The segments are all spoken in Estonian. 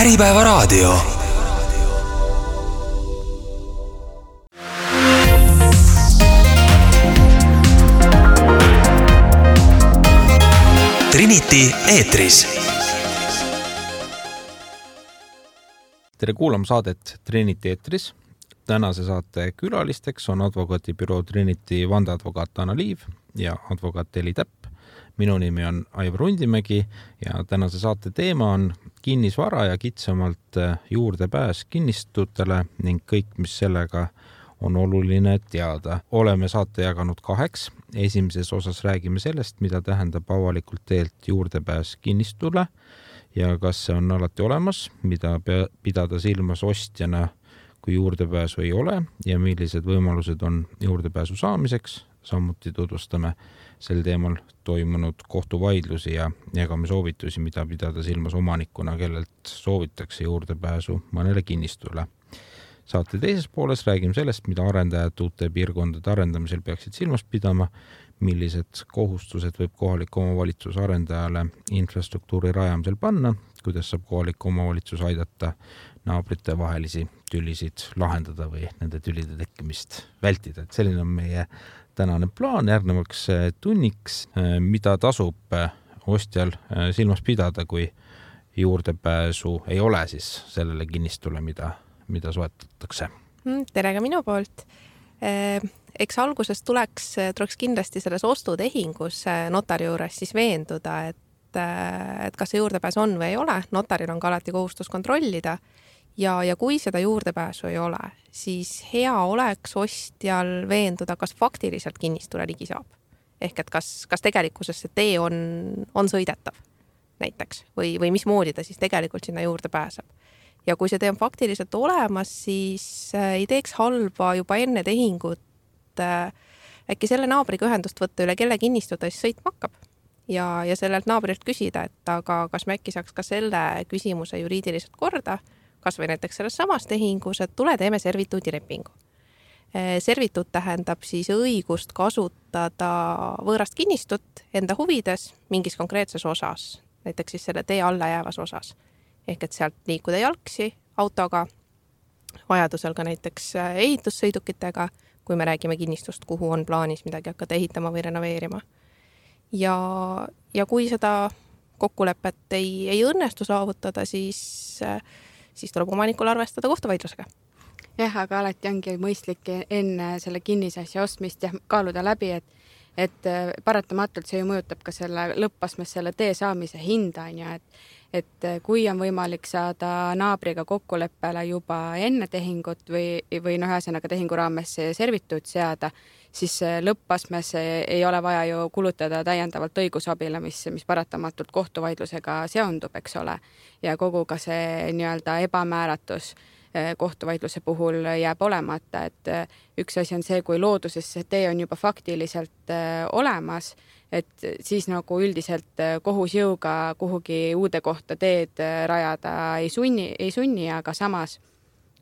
Äripäevaraadio. Trinity eetris. Tere kuulama saadet Trinity eetris. Tänase saate külalisteks on advokaadibüroo Trinity vandeadvokaat Anna Liiv ja advokaat Eli Täpp. Minu nimi on Aivar Rundimägi ja tänase saate teema on kinnisvara ja kitsamalt juurdepääs kinnistutele ning kõik, mis sellega on oluline teada. Oleme saate jaganud 2. Esimeses osas räägime sellest, mida tähendab avalikult teelt juurdepääs kinnistule ja kas see on alati olemas, mida pidada silmas ostjana, kui juurdepääsu ei ole ja millised võimalused on juurdepääsu saamiseks. Samuti tutvustame sel teemal toimunud kohtuvaidlusi ja jagame soovitusi, mida pidada silmas omanikuna, kellelt soovitakse juurdepääsu mõnele kinnistule. Saate teises pooles räägime sellest, mida arendajad uute piirkondade arendamisel peaksid silmas pidama, millised kohustused võib kohalik omavalitsus arendajale infrastruktuuri rajamisel panna, kuidas saab kohalik omavalitsus aidata naabrite vahelisi tülisid lahendada või nende tülide tekkimist vältida. Et selline on meie tänane plaan järgnevaks tunniks, mida tasub ostjal silmas pidada, kui juurdepääsu ei ole siis sellele kinnistule, mida soetatakse. Tere ka minu poolt. Eks alguses tuleks kindlasti selles ostutehingus notari juures siis veenduda, et kas see juurdepääs on või ei ole. Notaril on ka alati kohustus kontrollida. Ja kui seda juurdepääsu ei ole, siis hea oleks ostjal veenduda, kas faktiliselt kinnistule ligi saab. Ehk et kas tegelikkuses see tee on sõidetav näiteks või mismoodi ta siis tegelikult sinna juurde pääseb. Ja kui see tee on faktiliselt olemas, siis ei teeks halba juba enne tehingut äkki selle naabriga ühendust võtta üle, kelle kinnistu ta siis sõitma hakkab. Ja sellelt naabrilt küsida, et aga kas me äkki saaks ka selle küsimuse juriidiliselt korda, kas või näiteks selles samas tehingus, et tule teeme servituudilepingu. Servituut tähendab siis õigust kasutada võõrast kinnistut enda huvides mingis konkreetses osas, näiteks siis selle tee alla jäävas osas. Ehk et sealt liikuda jalgsi autoga, vajadusel ka näiteks ehitussõidukitega, kui me räägime kinnistust, kuhu on plaanis midagi hakata ehitama või renoveerima. Ja kui seda kokkulepet ei õnnestu saavutada, siis tuleb omanikul arvestada kohtuvaidlusega. Jah, aga alati ongi mõistlik enne selle kinnisasja ostmist ja kaaluda läbi, et paratamatult see ju mõjutab ka selle lõppasmes selle tee saamise hinda, et kui on võimalik saada naabriga kokkuleppele juba enne tehingut või ühesõnaga tehingu raames servituut seada, siis lõppasmes ei ole vaja ju kulutada täiendavalt õigusabile, mis paratamatult kohtuvaidlusega seondub, eks ole. Ja kogu ka see nii-öelda ebamääratus kohtuvaidluse puhul jääb olemata, et üks asi on see, kui looduses see tee on juba faktiliselt olemas, et siis nagu üldiselt kohus jõuga kuhugi uude kohta teed rajada ei sunni, aga samas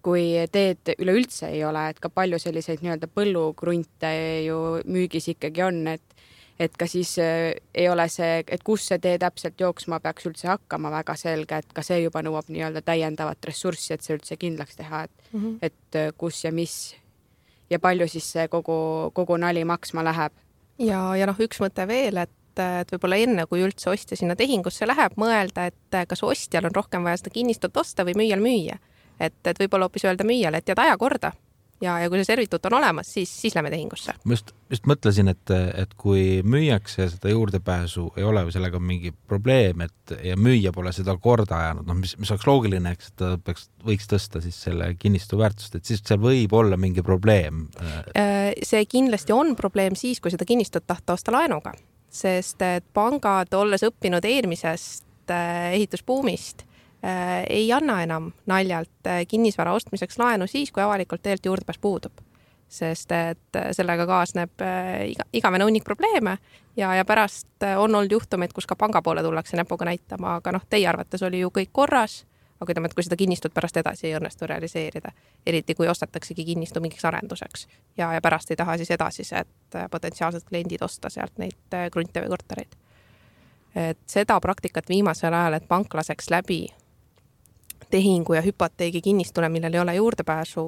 kui teed üleüldse ei ole, et ka palju selliseid nii-öelda põllugrunte ju müügis ikkagi on, et ka siis ei ole see, et kus see tee täpselt jooksma peaks üldse hakkama väga selge, et ka see juba nõuab nii-öelda täiendavat ressurssi, et see üldse kindlaks teha, et kus ja mis ja palju siis see kogu nali maksma läheb. Ja üks mõte veel, et võib-olla enne, kui üldse ostja sinna tehingusse läheb, mõelda, et kas ostjal on rohkem vaja seda kinnistut osta või müüjal müüa. Et võib-olla hoopis öelda müüjale, et aja korda ja kui see servituut on olemas, siis lähme tehingusse. Ma just mõtlesin, et kui müüakse seda juurdepääsu ei ole või sellega on mingi probleem, ja müüja pole seda korda ajanud, mis oleks loogiline, eks, et ta võiks tõsta siis selle kinnistu väärtust, et siis seal võib olla mingi probleem. See kindlasti on probleem siis, kui seda kinnistut tahta osta laenuga, sest et pangad, olles õppinud eelmisest ehitusbuumist, ei anna enam naljalt kinnisvara ostmiseks laenu siis, kui avalikult teelt juurdepääs puudub. Sest et sellega kaasneb igavene hunnik probleeme ja pärast on olnud juhtumeid, kus ka panga poole tullakse näpuga näitama, aga teie arvates oli ju kõik korras, aga ütleme, et kui seda kinnistut pärast edasi ei õnnestu realiseerida, eriti kui ostataksegi kinnistu mingiks arenduseks ja pärast ei taha siis edasised potentsiaalsed kliendid osta sealt neid krunte või kortereid. Et seda praktikat viimasel ajal, et pank laseks läbi tehingu ja hüpoteegi kinnistule, millel ei ole juurdepääsu,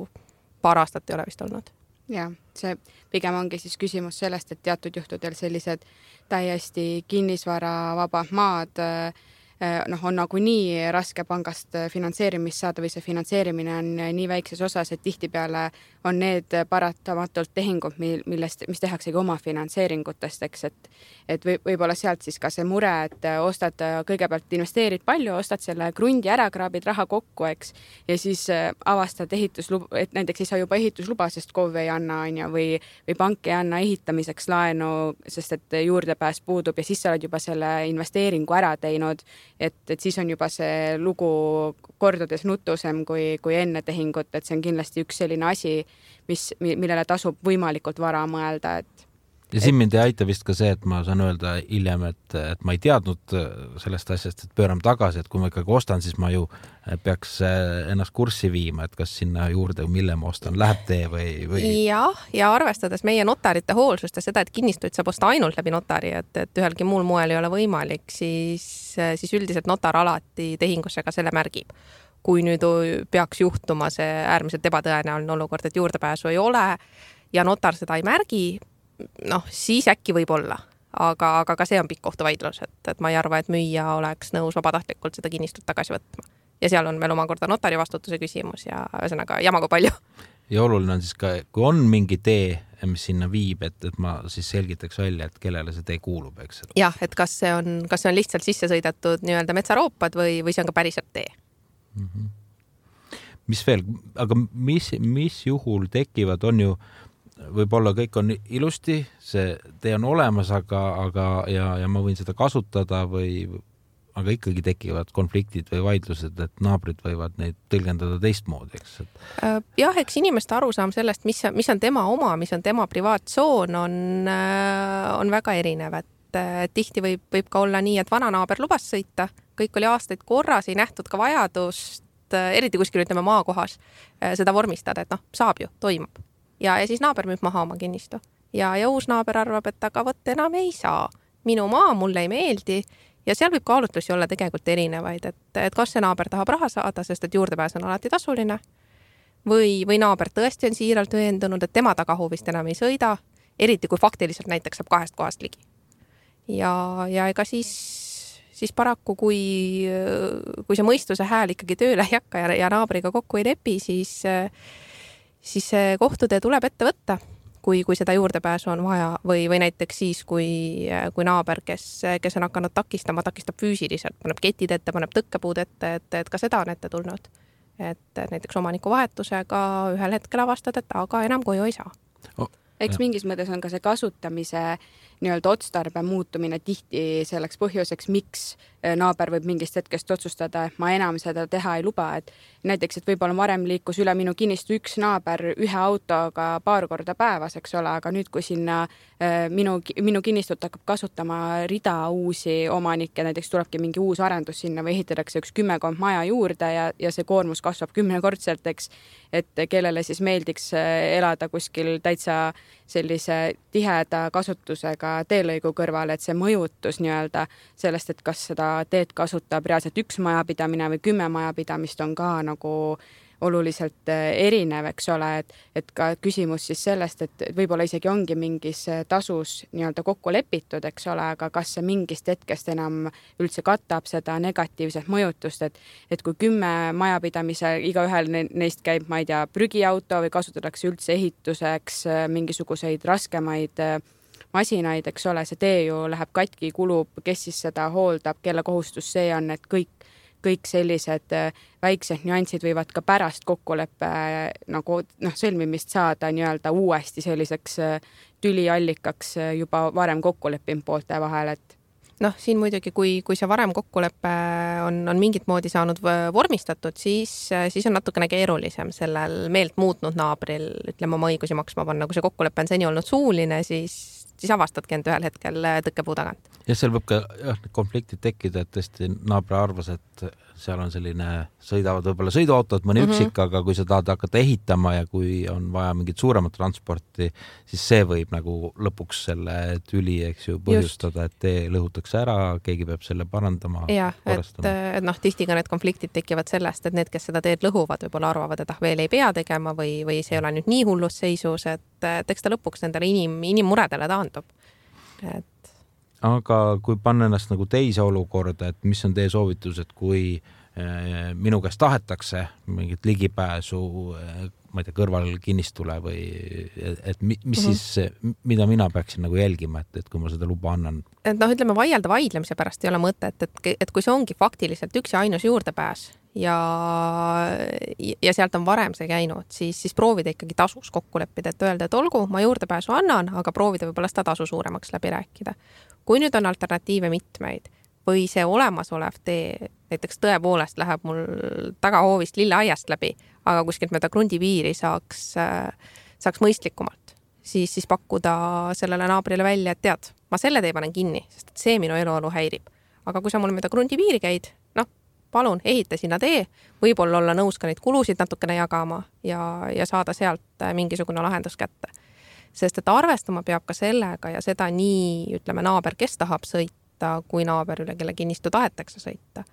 paar aastat ei ole vist olnud. Ja see pigem ongi siis küsimus sellest, et teatud juhtudel sellised täiesti kinnisvara vabad maad on nagu nii raske pangast finantseerimist saada või see finantseerimine on nii väikses osas, et tihtipeale on need paratamatult tehingud, mis tehaksegi oma finantseeringutest, eks, et võib-olla sealt siis ka see mure, et ostad kõigepealt investeerid palju, ostad selle krundi ära, kraabid raha kokku, eks, ja siis avastad ehitusluba, et näiteks ei saa juba ehitusluba, sest KOV ei anna, või pank ei anna ehitamiseks laenu, sest et juurdepääs puudub ja siis sa oled juba selle investeeringu ära teinud, et siis on juba see lugu kordades nutusem kui enne tehingut, et see on kindlasti üks selline asi, millele tasub võimalikult vara mõelda, ja siin mind ei aita vist ka see, et ma saan öelda hiljem, et ma ei teadnud sellest asjast, et pööram tagasi, et kui ma ikkagi ostan, siis ma ju peaks ennast kurssi viima, et kas sinna juurde, mille ma ostan, läheb tee või... Ja arvestades meie notarite hoolsust ja seda, et kinnistuid saab osta ainult läbi notari, et ühelgi muul moel ei ole võimalik, siis üldiselt notar alati tehingusse ka selle märgib. Kui nüüd peaks juhtuma see äärmiselt ebatõenäoline olukord, et juurdepääsu ei ole ja notar seda ei märgi, siis äkki võib olla, aga ka see on pikk kohtuvaidlus, et ma ei arva, et müüja oleks nõus vabatahtlikult seda kinnistut tagasi võtma. Ja seal on veel omakorda notari vastutuse küsimus ja ühesõnaga jamaga palju. Ja oluline on siis ka, kui on mingi tee, mis sinna viib, et ma siis selgitaks välja, et kellele see tee kuulub, eks? Jah, et kas see on lihtsalt sisse sõidetud nii-öelda metsaroopad või see on ka päriselt tee. Mis veel, aga mis juhul tekivad, on ju võib-olla kõik on ilusti, see tee on olemas, ja ma võin seda kasutada aga ikkagi tekivad konfliktid või vaidlused, et naabrid võivad neid tõlgendada teistmoodi, eks? Jah, eks inimeste arusaam sellest, mis on tema oma, mis on tema privaattsoon, on väga erinev, et tihti võib ka olla nii, et vana naaber lubas sõita, kõik oli aastaid korras, ei nähtud ka vajadust, eriti kuskil ütleme maakohas, seda vormistada, et saab ju, toimub. Ja siis naaber müüb maha oma kinnistu. Ja uus naaber arvab, et aga võt enam ei saa. Minu maa mulle ei meeldi. Ja seal võib kaalutlusi olla tegelikult erinevaid, et kas see naaber tahab raha saada, sest et juurdepääs on alati tasuline. Või naaber tõesti on siiralt veendunud, et tema tagahuvist enam ei sõida, eriti kui faktiliselt näiteks saab 2 kohast ligi. Ja ega siis paraku, kui see mõistuse hääl ikkagi tööle ei hakka ja naabriga kokku ei lepi, siis kohtutee tuleb ette võtta, kui seda juurdepääsu on vaja või näiteks siis, kui naaber, kes on hakanud takistab füüsiliselt, paneb ketid ette, paneb tõkkepuud ette, et ka seda on ette tulnud. Et näiteks omaniku vahetusega ühel hetkel avastad, et aga enam koju ei saa. Eks mingis mõttes on ka see kasutamise nii-öelda otstarbe muutumine tihti selleks põhjuseks, miks naaber võib mingist hetkest otsustada, et ma enam seda teha ei luba. Et näiteks, et võib-olla varem liikus üle minu kinnistu üks naaber ühe autoga paar korda päevas, eks ole, aga nüüd, kui sinna minu kinnistut hakkab kasutama rida uusi omanikke, näiteks tulebki mingi uus arendus sinna või ehitatakse üks 10 maja juurde ja see koormus kasvab 10-kordselt, eks, et kellele siis meeldiks elada kuskil täitsa sellise tiheda kasutusega teelõigu kõrval, et see mõjutus nii-öelda sellest, et kas seda teed kasutab reaalselt üks majapidamine või 10 majapidamist on ka nagu oluliselt erinev, eks ole, et ka küsimus siis sellest, et võib-olla isegi ongi mingis tasus nii-öelda kokku lepitud, eks ole, aga kas see mingist hetkest enam üldse katab seda negatiivset mõjutust, et kui 10 majapidamise, igaühel neist käib, ma ei tea, prügiauto või kasutatakse üldse ehituseks mingisuguseid raskemaid masinaid, eks ole, see tee ju läheb katki, kulub, kes siis seda hooldab, kelle kohustus see on, et kõik sellised väiksed nüansid võivad ka pärast kokkuleppe nagu sõlmimist saada nii-öelda uuesti selliseks tüliallikaks juba varem kokkuleppinud poolte vahel, et siin muidugi, kui see varem kokkulepe on mingit moodi saanud vormistatud, siis on natukene keerulisem sellel meelt muutnud naabril, ütleme, oma õigusi maksma panna. Kui see kokkulepe on seni olnud suuline, siis siis avastadki end ühel hetkel tõkkepuu tagant. Ja seal võib ka konfliktid tekkida, et tõesti naabri arvas, et seal on selline, sõidavad võib-olla sõiduautod, mõni üksik, aga kui sa tahad hakata ehitama ja kui on vaja mingit suuremat transporti, siis see võib nagu lõpuks selle tüli, eks ju, põhjustada, et tee lõhutakse ära, keegi peab selle parandama. Ja, et tihti ka need konfliktid tekivad sellest, et need, kes seda teed lõhuvad, võib-olla arvavad, et veel ei pea tegema või see ei ole nüüd nii hullus seisus, et eks ta lõpuks nendele inimmuredele taandub. Aga kui panna ennast nagu teise olukorda, et mis on teie soovitus, et kui minu käest tahetakse mingit ligipääsu, ma ei tea, kõrval kinnistule või et mis siis, mida mina peaksin nagu jälgima, et kui ma seda luba annan? Et ütleme, vaielda vaidlemise pärast ei ole mõtet, et kui see ongi faktiliselt üks ja ainus juurdepääs ja sealt on varem see käinud, siis proovida ikkagi tasus kokku leppida, et öelda, et olgu, ma juurdepääsu annan, aga proovida võib-olla seda tasu suuremaks läbi rääkida. Kui nüüd on alternatiive mitmeid või see olemasolev tee, näiteks tõepoolest läheb mul tagahoovist lilleaiast läbi, aga kuskilt mööda krundipiiri saaks mõistlikumalt, siis pakkuda sellele naabrile välja, et tead, ma selle tee panen kinni, sest see minu eluolu häirib. Aga kui sa mul mööda krundipiiri käid, palun ehita sinna tee, võib-olla olla nõus ka neid kulusid natukene jagama ja saada sealt mingisugune lahendus kätte. Sest et arvestama peab ka sellega ja seda nii, ütleme, naaber, kes tahab sõita, kui naaber üle, kelle kinnistu tahetakse sõita.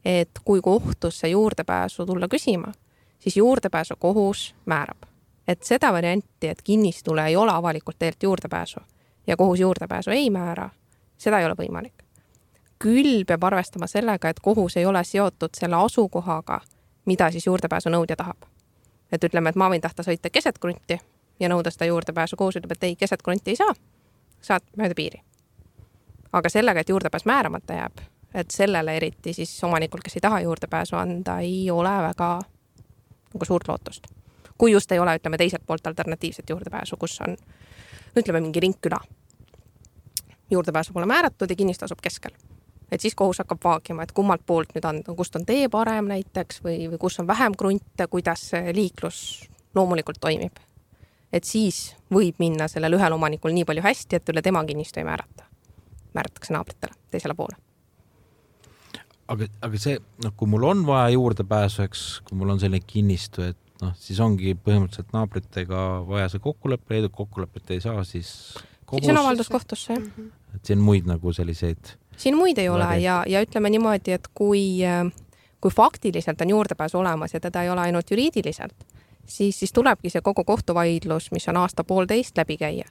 Et kui kohtusse juurdepääsu tulla küsima, siis juurdepääsu kohus määrab. Et seda varianti, et kinnistule ei ole avalikult teelt juurdepääsu ja kohus juurdepääsu ei määra, seda ei ole võimalik. Küll peab arvestama sellega, et kohus ei ole seotud selle asukohaga, mida siis juurdepääsu nõudja tahab. Et ütleme, et ma võin tahta sõita keset krunti ja nõuda seda juurdepääsu, kohus ütleb, et ei, keset krunti ei saa, saad mööda piiri. Aga sellega, et juurdepääs määramata jääb, et sellele eriti siis omanikul, kes ei taha juurdepääsu anda, ei ole väga nagu suurt lootust. Kui just ei ole, ütleme, teiselt poolt alternatiivset juurdepääsu, kus on, ütleme, mingi ringküla. Juurdepääsu pole määratud ja kinnistu asub keskel. Et siis kohus hakkab vaagima, et kummalt poolt nüüd on, kust on tee parem näiteks või kus on vähem krunte, kuidas liiklus loomulikult toimib. Et siis võib minna sellel ühel omanikul nii palju hästi, et üle tema kinnistu ei määrata. Määratakse naabritele teisele poole. Aga see, kui mul on vaja juurdepääsuks, kui mul on selline kinnistu, et siis ongi põhimõtteliselt naabritega vaja see kokkuleppe, kokkulepet ei saa, siis kohus... Siis on avaldus kohtusse. Et siin muid nagu selliseid... Siin muid ei ole ja ütleme niimoodi, et kui faktiliselt on juurdepääsu olemas ja teda ei ole ainult juriidiliselt, siis tulebki see kogu kohtuvaidlus, mis on aasta-poolteist läbi käia.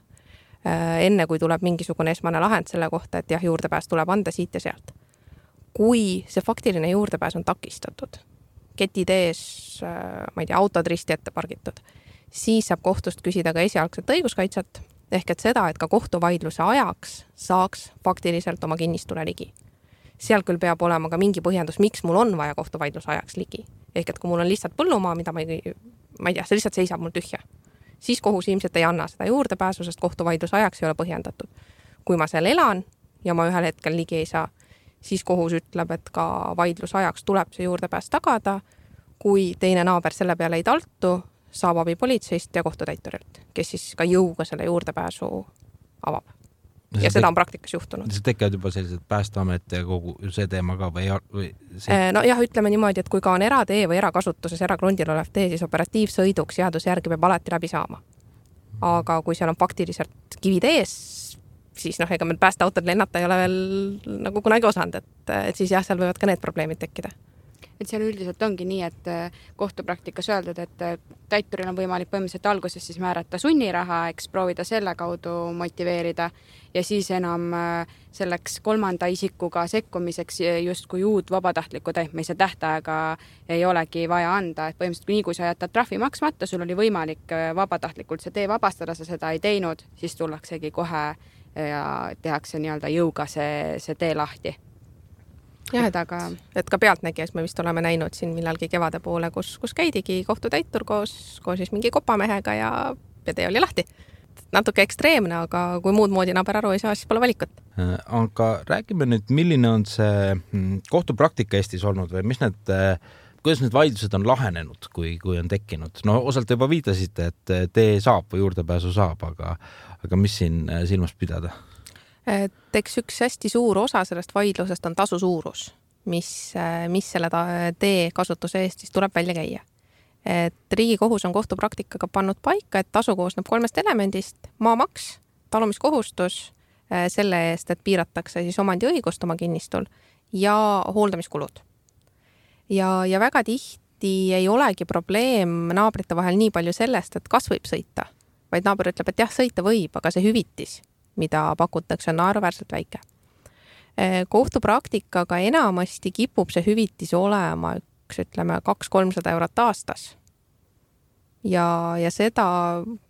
Enne kui tuleb mingisugune esmane lahend selle kohta, et jah, juurdepääs tuleb anda siit ja sealt. Kui see faktiline juurdepääs on takistatud, ketid ees, ma ei tea, autod risti ette pargitud, siis saab kohtust küsida ka esialgset õiguskaitset, ehk et seda, et ka kohtuvaidluse ajaks saaks faktiliselt oma kinnistule ligi. Seal küll peab olema ka mingi põhjendus, miks mul on vaja kohtuvaidluse ajaks ligi. Ehk et kui mul on lihtsalt põllumaa, mida ma ei tea, see lihtsalt seisab mul tühja, siis kohus ilmselt ei anna seda juurdepääsu, sest kohtuvaidluse ajaks ei ole põhjendatud. Kui ma seal elan ja ma ühel hetkel ligi ei saa, siis kohus ütleb, et ka vaidluse ajaks tuleb see juurdepääs tagada, kui teine naaber selle peale ei taltu, saab abi politseist ja kohtutäiturilt, kes siis ka jõuga selle juurdepääsu avab. Ja seda on praktikas juhtunud. See tekivad juba sellised Päästeamet ja kogu see teema ka või see... No jah, ütleme niimoodi, et kui ka on eratee või erakasutuses erakrundil olev tee, siis operatiivsõiduks seaduse järgi peab alati läbi saama. Aga kui seal on faktiliselt kivid ees, siis ega meil päästeautod lennata ei ole veel nagu kunagi osanud, et siis jah, seal võivad ka need probleemid tekkida. Et seal üldiselt ongi nii, et kohtupraktikas öeldud, et täituril on võimalik põhimõtteliselt alguses siis määrata sunniraha, eks proovida selle kaudu motiveerida ja siis enam selleks kolmanda isikuga sekkumiseks justkui uut vabatahtliku täitmise tähtaega ei olegi vaja anda. Et põhimõtteliselt nii kui sa jätad trahvi maksmata, sul oli võimalik vabatahtlikult see tee vabastada, sa seda ei teinud, siis tullaksegi kohe ja tehakse nii-öelda jõuga see tee lahti. Jah, et ka pealtnägijas me vist oleme näinud siin millalgi kevade poole, kus käidigi kohtutäitur koos siis mingi kopamehega ja tee oli lahti. Natuke ekstreemne, aga kui muud moodi naaber aru ei saa, siis pole valikut. Aga räägime nüüd, milline on see kohtupraktika Eestis olnud või mis need kuidas need vaidlused on lahenenud, kui on tekkinud? No osalt juba viitasite, et tee saab või juurdepääsu saab, aga mis siin silmas pidada? Et eks üks hästi suur osa sellest vaidlusest on tasu suurus, mis selle tee kasutuse eest siis tuleb välja käia. Et Riigikohus on kohtupraktikaga pannud paika, et tasu koosneb 3 elemendist: maamaks, talumiskohustus selle eest, et piiratakse siis omandiõigust oma kinnistul ja hooldamiskulud. Ja väga tihti ei olegi probleem naabrite vahel nii palju sellest, et kas võib sõita, vaid naaber ütleb, et jah, sõita võib, aga see hüvitis, mida pakutakse, on naeruväärselt väike. Kohtupraktikaga enamasti kipub see hüvitis olema ütleme 200-300 eurot aastas. Ja seda,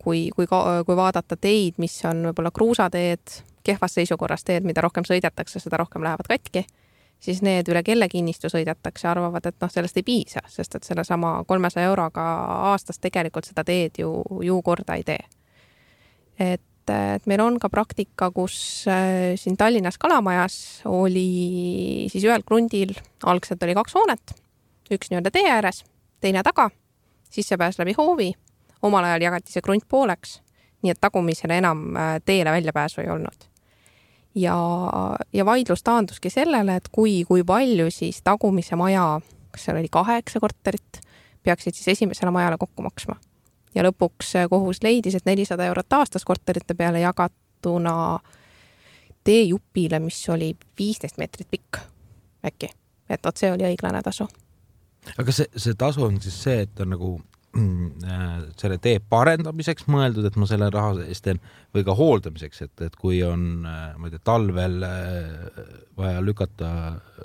kui vaadata teid, mis on võib-olla kruusateed, kehvas seisukorras teed, mida rohkem sõidetakse, seda rohkem lähevad katki, siis need üle kelle kinnistu sõidetakse, arvavad, et sellest ei piisa, sest et selle sama 300 euroga aastas tegelikult seda teed ju korda ei tee. Et meil on ka praktika, kus siin Tallinnas Kalamajas oli siis ühel krundil, algselt oli 2 hoonet, üks nii-öelda tee ääres, teine taga, sissepääs läbi hoovi, omal ajal jagati see krunt pooleks, nii et tagumisele enam teele väljapääsu ei olnud. Ja vaidlus taanduski sellele, et kui palju siis tagumise maja, kas seal oli 8 korterit, peaksid siis esimesele majale kokku maksma. Ja lõpuks kohus leidis, et 400 eurot aastas korterite peale jagatuna teejupile, mis oli 15 meetrit pikk äkki. Et see oli õiglane tasu. Aga see tasu on siis see, et on nagu selle tee parendamiseks mõeldud, et ma selle raha eest teen, või ka hooldamiseks, et kui on talvel vaja lükata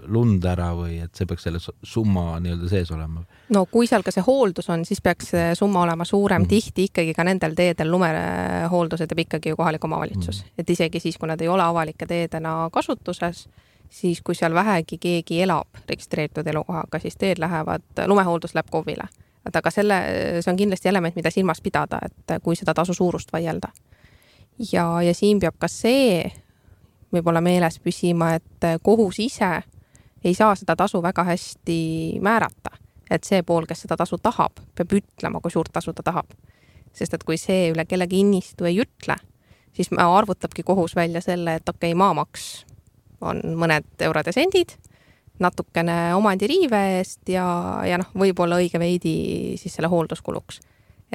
lund ära või et see peaks selle summa nii-öelda sees olema? No kui seal ka see hooldus on, siis peaks see summa olema suurem. Tihti ikkagi ka nendel teedel lumehooldused teeb ikkagi ju kohalik omavalitsus. Et isegi siis, kui nad ei ole avalike teedena kasutuses, siis kui seal vähegi keegi elab registreeritud elukohaga, siis teed lumehooldus läheb KOV-ile. Aga see on kindlasti element, mida silmas pidada, et kui seda tasu suurust vaielda. Ja siin peab ka see võib-olla meeles püsima, et kohus ise ei saa seda tasu väga hästi määrata. Et see pool, kes seda tasu tahab, peab ütlema, kui suurt tasu ta tahab. Sest et kui see üle kellegi kinnistu ei ütle, siis arvutabki kohus välja selle, et maamaks on mõned eurod ja sendid, natukene omandiriive eest ja võib-olla õige veidi siis selle hoolduskuluks.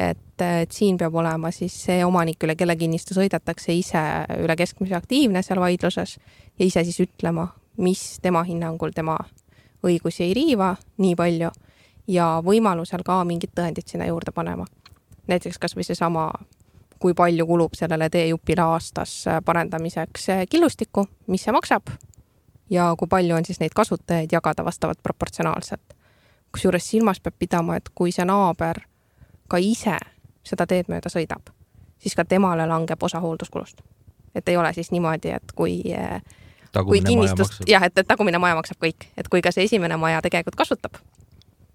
Et siin peab olema siis see omanik, üle kelle kinnistu sõidetakse ise üle keskmise aktiivne seal vaidluses ja ise siis ütlema, mis tema hinnangul tema õigusi ei riiva nii palju ja võimalusel ka mingid tõendid sinna juurde panema. Näiteks kas või see sama, kui palju kulub sellele teejupile aastas parendamiseks killustikku, mis see maksab, ja kui palju on siis neid kasutajaid jagada vastavalt proportsionaalselt. Kusjuures silmas peab pidama, et kui see naaber ka ise seda teed mööda sõidab, siis ka temale langeb osa hoolduskulust. Et ei ole siis niimoodi, et kui kinnistust, et tagumine maja maksab kõik, et kui ka see esimene maja tegelikult kasutab,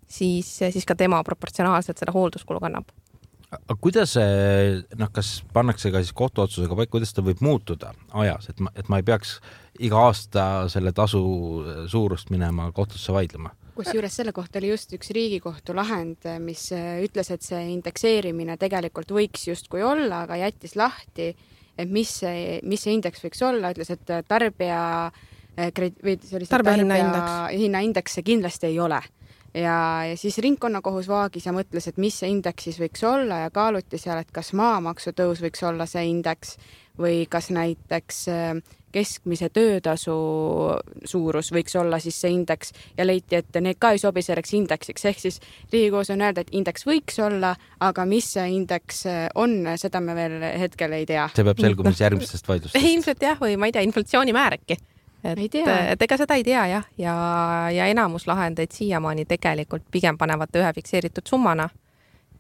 siis ka tema proportsionaalselt seda hoolduskulu kannab. Aga kuidas kas pannakse ka siis kohtuotsusega paika, kuidas ta võib muutuda ajas, et ma ei peaks iga aasta selle tasu suurust minema kohtusse vaidlema? Kusjuures selle kohta oli just üks Riigikohtu lahend, mis ütles, et see indekseerimine tegelikult võiks justkui olla, aga jättis lahti, et mis see indeks võiks olla, ütles, et tarbija hinnaindeks see kindlasti ei ole. Ja siis ringkonnakohus vaagis ja mõtles, et mis see indeks siis võiks olla ja kaaluti seal, et kas maamaksu tõus võiks olla see indeks või kas näiteks keskmise töötasu suurus võiks olla siis see indeks ja leiti, et need ka ei sobi selleks indeksiks. Ehk siis Riigikohus on öelda, et indeks võiks olla, aga mis see indeks on, seda me veel hetkel ei tea. See peab selgumis järgmistest vaidlustest. Ilmselt jah, või ma ei tea, inflatsioonimäär äkki. Et ega seda ei tea jah, ja enamus lahendeid siiamaani tegelikult pigem panevad ühe fikseeritud summana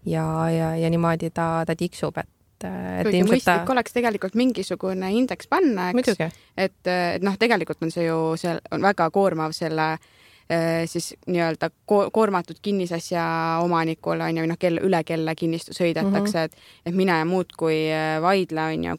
ja niimoodi ta tiksub, kuigi mõistlik oleks tegelikult mingisugune indeks panna, eks? Et tegelikult on see ju on väga koormav selle siis nii-öelda koormatud kinnisasja omanikul on ju, üle kelle kinnistu sõidetakse, et mine ja muud kui vaidle on ju,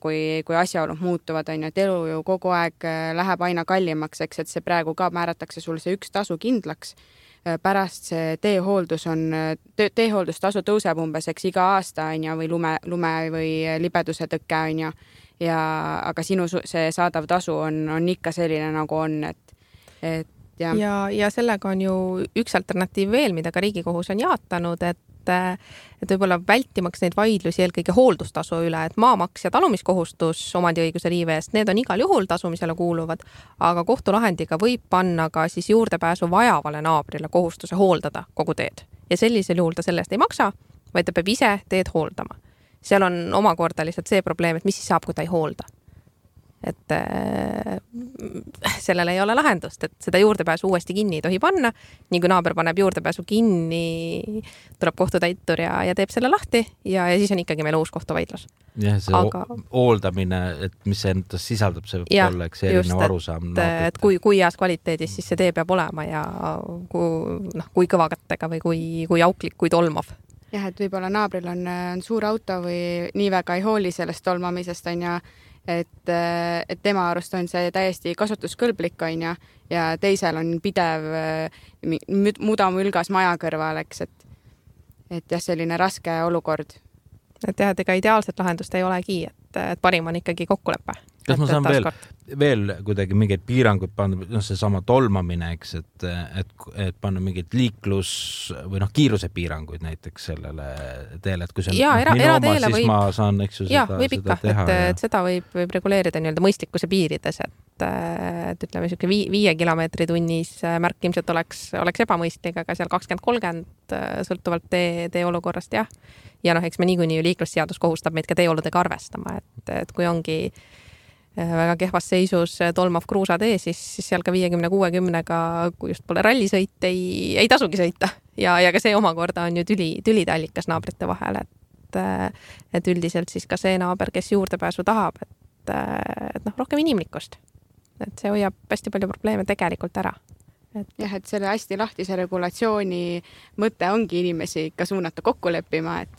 kui asjaolud muutuvad on ju, et elu ju kogu aeg läheb aina kallimaks, eks, et see praegu ka määratakse sulle see üks tasu kindlaks, pärast see teehooldustasu tõuseb umbes, eks iga aasta on ju, või lume või libeduse tõkke on ju, aga sinu see saadav tasu on ikka selline nagu on, et ja sellega on ju üks alternatiiv veel, mida ka Riigikohus on jaatanud, et võib-olla vältimaks neid vaidlusi eelkõige hooldustasu üle, et maamaks ja talumiskohustus omandiõiguse riive eest, need on igal juhul tasumisele kuuluvad, aga kohtulahendiga võib panna ka siis juurdepääsu vajavale naabrile kohustuse hooldada kogu teed. Ja sellisel juhul ta sellest ei maksa, vaid ta peab ise teed hooldama. Seal on omakorda lihtsalt see probleem, et mis siis saab, kui ta ei hoolda. Et sellele ei ole lahendust, et seda juurdepääsu uuesti kinni ei tohi panna. Nii kui naaber paneb juurdepääsu kinni, tuleb kohtutäitur ja teeb selle lahti ja siis on ikkagi meil uus kohtuvaidlus. Jah, see hooldamine, et mis see endas sisaldab, see võib olla eks erinev arusaam. Et kui heas kvaliteedis siis see tee peab olema ja kui kõvakattega või kui auklik, kui tolmav. Jah, et võib-olla naabril on suur auto või nii väga ei hooli sellest tolmamisest on ja et tema arust on see täiesti kasutuskõlblik on ja teisel on pidev mudamülgas maja kõrval, eks, et jah, selline raske olukord. Et jah, et ega ideaalset lahendust ei olegi, et parim on ikkagi kokkulepe. Kas ma saan veel kuidagi mingeid piiranguid panna, see sama tolmamine, eks, et panna mingeid liiklus või kiiruse piiranguid näiteks sellele teele, et kui see on minu oma, siis ma saan eks ju seda teha. Et seda võib reguleerida nii-öelda mõistlikkuse piirides, et ütleme, 5 kilomeetri tunnis märk ilmselt oleks ebamõistlik, aga seal 20-30 sõltuvalt tee olukorrast, jah. Ja eks me niikuinii ju liiklusseadus kohustab meid ka teeoludega arvestama, et kui ongi väga kehvas seisus tolmav kruusatee, siis seal ka 50-60-ga, kui just pole rallisõit, ei tasugi sõita. Ja ka see omakorda on ju tülide allikas naabrite vahel, et üldiselt siis ka see naaber, kes juurdepääsu tahab, et rohkem inimlikkust. Et see hoiab hästi palju probleeme tegelikult ära. Jah, et selle hästi lahtise regulatsiooni mõte ongi inimesi ikka suunata kokku leppima, et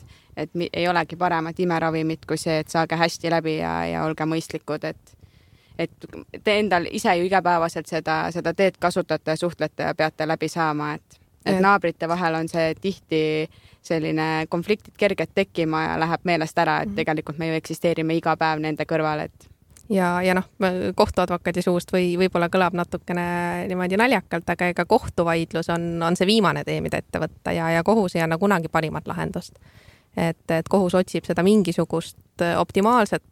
ei olegi paremat imeravimit kui see, et saage hästi läbi ja olge mõistlikud, et te endal ise ju igapäevaselt seda teed kasutate, suhtlete ja peate läbi saama, et naabrite vahel on see tihti selline konfliktid kerged tekkima ja läheb meelest ära, et tegelikult me ju eksisteerime iga päev nende kõrval, et ja kohtuadvokaadi suust võib-olla kõlab natukene niimoodi naljakalt, aga ega kohtuvaidlus on see viimane tee, mida ette võtta ja kohus ei anna kunagi parimat lahendust. Et kohus otsib seda mingisugust optimaalset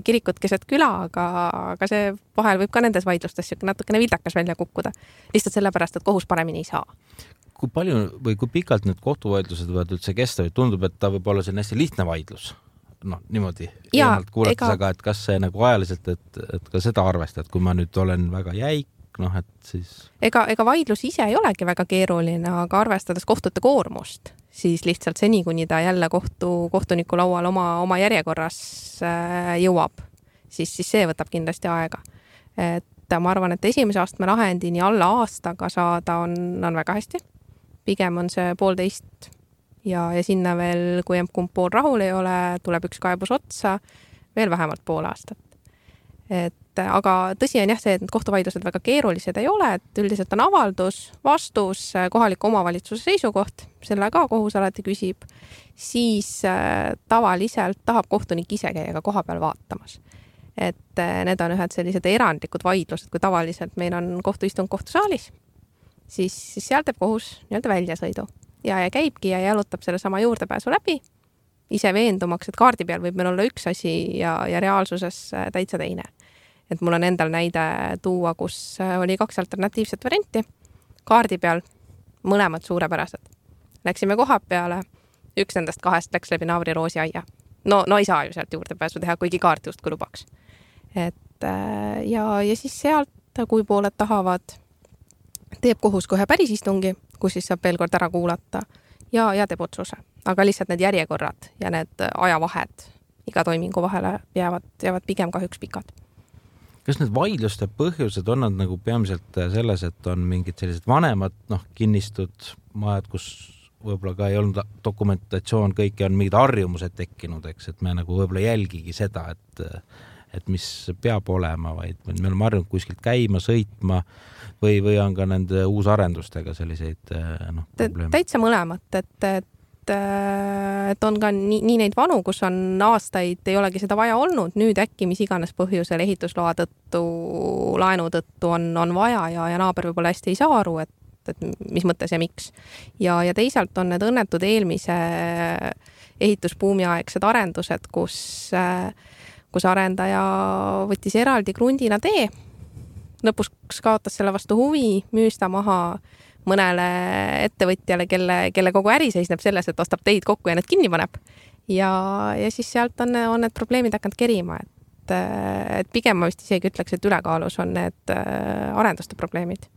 kirikut keset küla, aga see vahel võib ka nendes vaidlustes natukene vildakas välja kukkuda. Lihtsalt sellepärast, et kohus paremini ei saa. Kui palju või kui pikalt need kohtuvaidlused võivad üldse kesta või tundub, et ta võib olla see hästi lihtne vaidlus? Niimoodi eemalt kuulates, aga et kas see nagu ajaliselt, et ka seda arvestad, kui ma nüüd olen väga jäik, et siis Ega vaidlus ise ei olegi väga keeruline, aga arvestades kohtute koormust, siis lihtsalt seni, kuni ta jälle kohtuniku laual oma järjekorras jõuab, siis see võtab kindlasti aega. Et ma arvan, et esimese astme lahendini alla aastaga saada on väga hästi. Pigem on see 1,5 ja sinna veel, kui kumb pool rahul ei ole, tuleb üks kaebus otsa, veel vähemalt 0,5 aastat. Aga tõsi on jah see, et kohtuvaidlused väga keerulised ei ole, et üldiselt on avaldus, vastus, kohaliku omavalitsuse seisukoht, selle ka kohus alati küsib, siis tavaliselt tahab kohtunik ise käia ka koha peal vaatamas. Et need on ühed sellised erandlikud vaidlused, kui tavaliselt meil on kohtuistung kohtusaalis, siis seal teeb kohus nii-öelda väljasõidu ja käibki ja jalutab selle sama juurdepääsu läbi, ise veendumaks, et kaardi peal võib meil olla üks asi ja reaalsuses täitsa teine. Et mul on endal näide tuua, kus oli 2 alternatiivset varianti. Kaardi peal mõlemad suurepärased. Läksime koha peale, üks nendest 2 läks läbi naabri roosiaia. No ei saa ju sealt juurdepääsu teha, kuigi kaart just kui lubaks. Ja siis sealt, kui pooled tahavad, teeb kohus kohe päris istungi, kus siis saab veel kord ära kuulata ja teeb otsuse. Aga lihtsalt need järjekorrad ja need ajavahed iga toimingu vahele jäävad pigem kahjuks pikad. Kas need vaidluste põhjused on nad nagu peamiselt selles, et on mingid sellised vanemad kinnistud majad, kus võib-olla ka ei olnud dokumentatsioon, kõiki on mingid harjumused tekkinud, eks, et me nagu võib-olla jälgigi seda, et mis peab olema, vaid me oleme harjunud kuskilt käima, sõitma, või on ka nende uusarendustega selliseid probleeme? Täitsa mõlemat, et on ka nii neid vanu, kus on aastaid ei olegi seda vaja olnud, nüüd äkki mis iganes põhjusel ehitusloa tõttu, laenu tõttu on vaja ja naaber võib-olla hästi ei saa aru, et mis mõttes ja miks. Ja teisalt on need õnnetud eelmise ehitusbuumi aegsed arendused, kus arendaja võttis eraldi krundina tee, lõpus kaotas selle vastu huvi, müüs ta maha mõnele ettevõtjale, kelle kogu äri seisneb selles, et ostab teid kokku ja need kinni paneb. Ja siis sealt on need probleemid hakanud kerima, et pigem ma vist isegi ütleks, et ülekaalus on need arenduste probleemid.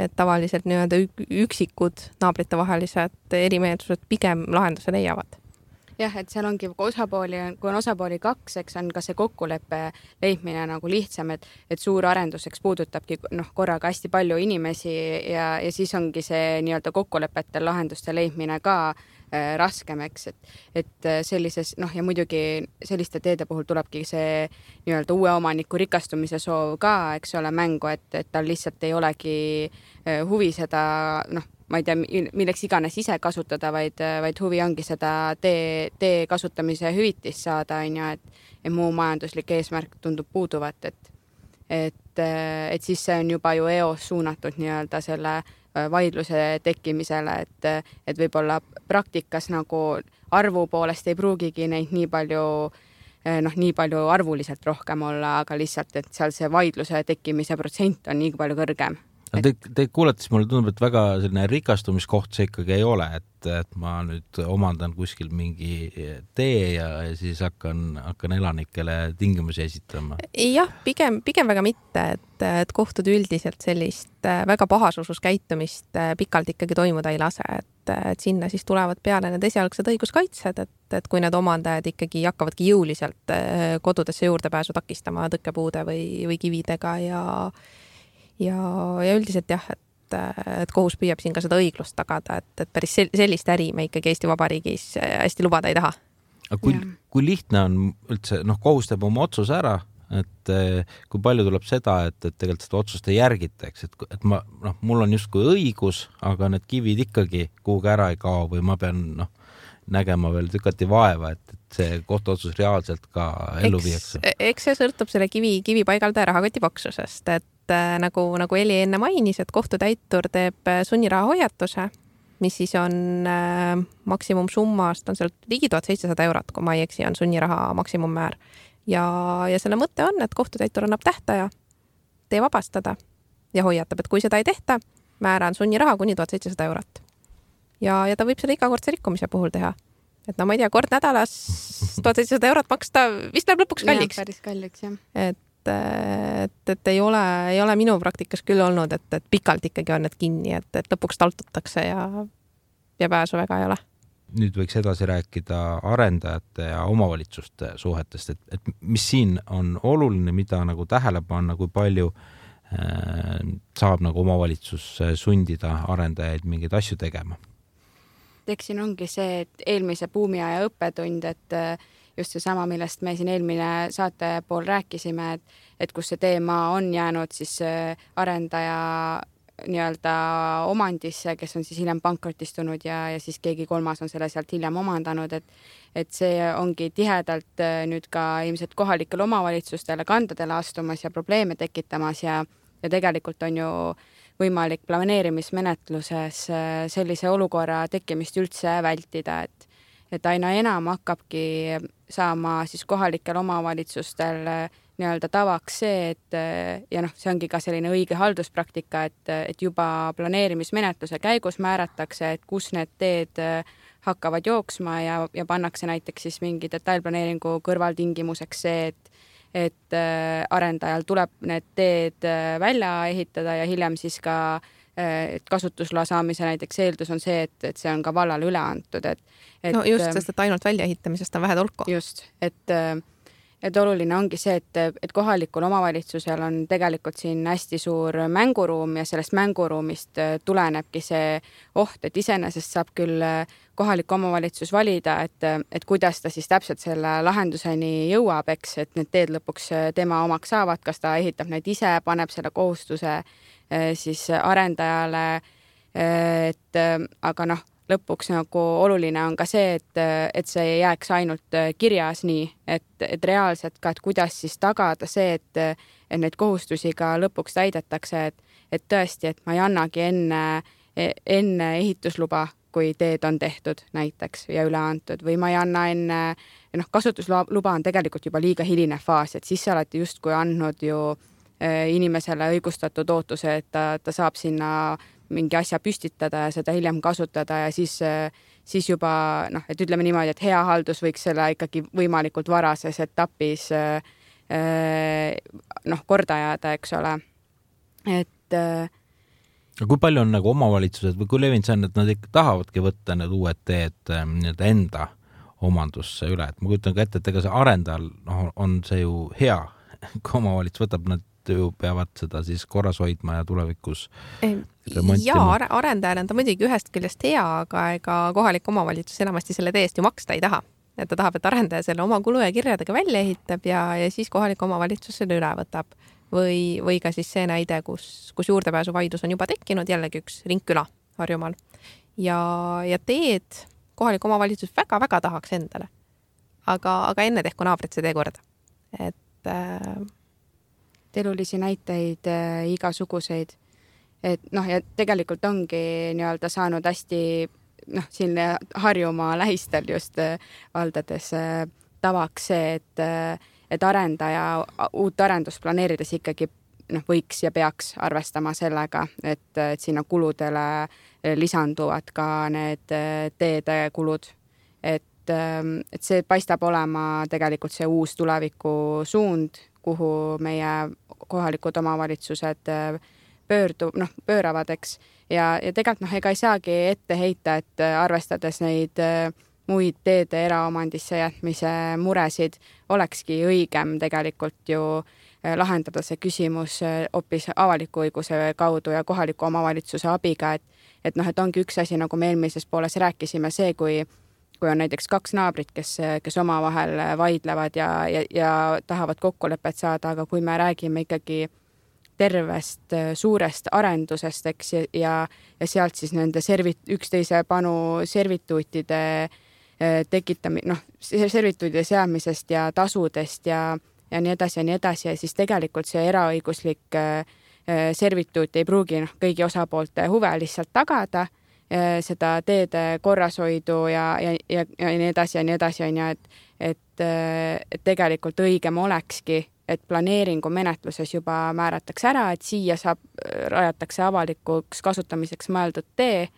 Et tavaliselt nii-öelda üksikud naabrite vahelised erimeelsused pigem lahenduse leiavad. Jah, et seal ongi kui on osapooli 2, eks on ka see kokkuleppe leidmine nagu lihtsam, et suur arenduseks puudutabki korraga hästi palju inimesi ja siis ongi see nii-öelda kokkulepetel lahenduste leidmine ka raskem, eks, et sellises, ja muidugi selliste teede puhul tulebki see nii-öelda uue omaniku rikastumise soov ka, eks ole, mängu, et tal lihtsalt ei olegi huvi seda, ma ei tea, milleks iganes ise kasutada, vaid huvi ongi seda tee kasutamise hüvitist saada, et muu majanduslik eesmärk tundub puuduvat, et siis see on juba ju EOS suunatud nii-öelda selle vaidluse tekkimisele, et võib-olla praktikas nagu arvu poolest ei pruugigi neid nii palju arvuliselt rohkem olla, aga lihtsalt, et seal see vaidluse tekkimise protsent on nii palju kõrgem. Te kuulates mulle tundub, et väga selline rikastumiskoht see ikkagi ei ole, et ma nüüd omandan kuskil mingi tee ja siis hakkan elanikele tingimusi esitama. Jah, pigem väga mitte, et kohtud üldiselt sellist väga pahasusus käitumist pikalt ikkagi toimuda ei lase, et sinna siis tulevad peale need esialgsed õiguskaitsed, et kui need omandajad ikkagi hakkavadki jõuliselt kodudesse juurdepääsu takistama tõkkepuude või kividega ja üldiselt jah, et kohus püüab siin ka seda õiglust tagada, et päris sellist äri me ikkagi Eesti Vabariigis hästi lubada ei taha. Kui lihtne on üldse, kohus teeb oma otsuse ära, et kui palju tuleb seda, et tegelikult seda otsust ei järgitaks, et mul on justkui õigus, aga need kivid ikkagi kuhugi ära ei kao või ma pean nägema veel tükati vaeva, et see kohtuotsus reaalselt ka ellu viiakse. Eks see sõltub selle kivi paigaldaja rahakoti paksusest, et nagu Eli enne mainis, et kohtutäitur teeb sunniraha hoiatuse, mis siis on maksimumsummast, on seal ligi 1700 €, kui ma ei eksi, on sunniraha maksimummäär. Ja selle mõte on, et kohtutäitur annab tähtaja tee vabastada ja hoiatab, et kui seda ei tehta, määraan sunniraha kuni 1700 €. Ja ta võib seda igakordse rikkumise puhul teha. Et ma ei tea, kord nädalas 1700 € maksta vist läheb lõpuks kalliks. Päris kalliks, jah. Et ei ole minu praktikas küll olnud, et pikalt ikkagi on need kinni, et lõpuks taltutakse ja pääsu väga ei ole. Nüüd võiks edasi rääkida arendajate ja omavalitsuste suhetest, et mis siin on oluline, mida nagu tähele panna, kui palju saab nagu omavalitsus sundida arendajaid mingeid asju tegema? Eks siin ongi see, et eelmise buumiaja õppetund, et just seesama, millest me siin eelmine saate pool rääkisime, et kus see teema on jäänud siis arendaja nii-öelda omandisse, kes on siis hiljem pankrotistunud ja siis keegi kolmas on selle sealt hiljem omandanud, et see ongi tihedalt nüüd ka ilmselt kohalikele omavalitsustele kandadele astumas ja probleeme tekitamas ja tegelikult on ju võimalik planeerimismenetluses sellise olukorra tekkimist üldse vältida, et aina enam hakkabki saama siis kohalikel omavalitsustel nii-öelda tavaks see, et see ongi ka selline õige halduspraktika, et juba planeerimismenetluse käigus määratakse, et kus need teed hakkavad jooksma ja pannakse näiteks siis mingi detailplaneeringu kõrvaltingimuseks see, et arendajal tuleb need teed välja ehitada ja hiljem siis ka kasutusloa saamise näiteks eeldus on see, et see on ka vallale üle antud. No just, sest et ainult väljaehitamisest on vähe tolku. Just, et oluline ongi see, et kohalikul omavalitsusel on tegelikult siin hästi suur mänguruum ja sellest mänguruumist tulenebki see oht, et iseenesest saab küll kohalik omavalitsus valida, et kuidas ta siis täpselt selle lahenduseni jõuab, eks, et need teed lõpuks tema omaks saavad, kas ta ehitab need ise, paneb selle kohustuse siis arendajale, et aga noh, lõpuks nagu oluline on ka see, et see ei jääks ainult kirjas nii, et reaalselt ka, et kuidas siis tagada see, et neid kohustusi ka lõpuks täidetakse, et tõesti, et ma ei annagi enne ehitusluba, kui teed on tehtud näiteks ja üle antud või ma ei anna enne, kasutusluba on tegelikult juba liiga hiline faas, et siis sa oled justkui andnud ju inimesele õigustatud ootuse, et ta saab sinna mingi asja püstitada ja seda hiljem kasutada ja siis juba, et ütleme niimoodi, et hea haldus võiks selle ikkagi võimalikult varases etapis korda jääda, eks ole. Et kui palju on nagu omavalitsused või kui levinud see on, et nad ikka tahavadki võtta need uued teed enda omandusse üle, et ma kujutan ka ette, et ega see arendajal on see ju hea, kui omavalitsus võtab, nad ju peavad seda siis korras hoidma ja tulevikus remontima. Ja arendajal on ta muidugi ühest küljest hea, aga ega kohalik omavalitsus enamasti selle teest ju maksta ei taha. Et ta tahab, et arendaja selle oma kulu ja kirjadega välja ehitab ja siis kohalik omavalitsus selle üle võtab. Või ka siis see näide, kus juurdepääsu vaidlus on juba tekkinud, jällegi üks ringküla Harjumaal. Ja teed kohalik omavalitsus väga-väga tahaks endale. Aga enne tehku naabrit see tee korda. Et elulisi näiteid igasuguseid, et ja tegelikult ongi nii-öelda saanud hästi siin Harjumaa lähistel just valdades tavaks see, et arendaja uut arendust planeerides ikkagi võiks ja peaks arvestama sellega, et sinna kuludele lisanduvad ka need teede kulud, et see paistab olema tegelikult see uus tuleviku suund, kuhu meie kohalikud omavalitsused pööravad, eks. Ja tegelikult ega ei saagi ette heita, et arvestades neid muid teede eraomandisse jätmise muresid, olekski õigem tegelikult ju lahendada see küsimus hoopis avaliku õiguse kaudu ja kohaliku omavalitsuse abiga, et ongi üks asi, nagu me eelmises pooles rääkisime, see, kui on näiteks kaks naabrit, kes omavahel vaidlevad ja tahavad kokkulepet saada, aga kui me räägime ikkagi tervest suurest arendusest, eks, ja sealt siis nende üksteise panu servituutide servituutide seamisest ja tasudest ja nii edasi ja siis tegelikult see eraõiguslik servituut ei pruugi kõigi osapoolte huve lihtsalt tagada, seda teede korrashoidu ja nii edasi ja nii edasi, et tegelikult õigem olekski, et planeeringu menetluses juba määratakse ära, et siia rajatakse avalikuks kasutamiseks mõeldud tee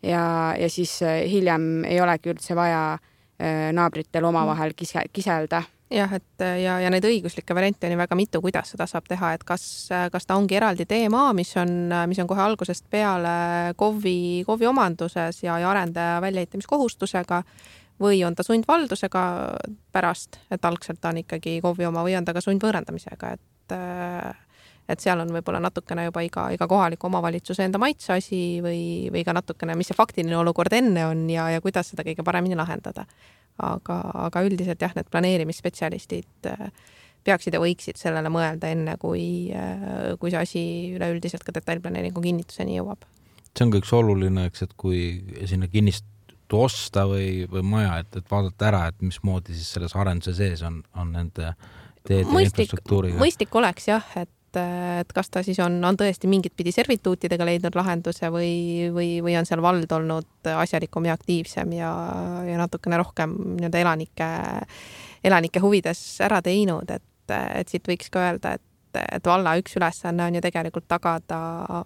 ja siis hiljem ei olegi üldse vaja naabritel omavahel kiselda. Jah, ja neid õiguslikke variante on väga mitu, kuidas seda saab teha, et kas ta ongi eraldi teemaa, mis on kohe algusest peale KOV-i omanduses ja arendaja väljaehitamiskohustusega või on ta sundvaldusega pärast, et algselt on ikkagi KOV-i oma või on ta ka sundvõõrandamisega, et seal on võib-olla natukene juba iga kohaliku omavalitsuse enda maitseasi või ka natukene, mis see faktiline olukord enne on ja kuidas seda kõige paremini lahendada. Aga üldiselt jah, need planeerimisspetsialistid peaksid ja võiksid sellele mõelda enne, kui see asi üleüldiselt ka detailplaneeringu kinnituseni jõuab. See on ka üks oluline, eks, et kui sinna kinnistu osta või maja, et vaadata ära, et mismoodi siis selles arenduse sees on nende teede infrastruktuuriga. Mõistlik oleks jah, et kas ta siis on tõesti mingit pidi servituutidega leidnud lahenduse või on seal vald olnud asjalikum ja aktiivsem ja natukene rohkem elanike huvides ära teinud, et siit võiks ka öelda, et valla üks ülesanne on ju tegelikult tagada